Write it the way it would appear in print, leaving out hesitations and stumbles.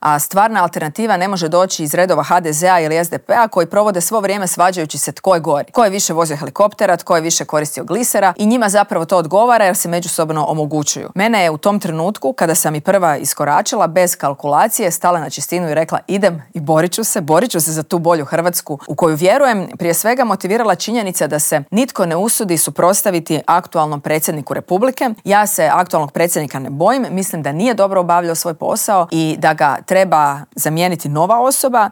a stvarna alternativa ne može doći iz redova HDZ-a ili SDP-a koji provode svo vrijeme svađajući se tko je gori, tko je više vozio helikoptera, tko je više koristio glisera i njima zapravo to odgovara jer se međusobno omogućuju. Mene je u tom trenutku, kada sam i prva iskoračila, bez kalkulacije stala na čistinu i rekla idem i borit ću se za tu bolju Hrvatsku u koju vjerujem, prije svega motivirala činjenica da se nitko ne usudi suprotstaviti aktualnom predsjedniku Republike. Ja se aktualnog predsjednika ne bojim, mislim da nije dobro obavljao svoj posao i da ga treba zamijeniti nova osoba.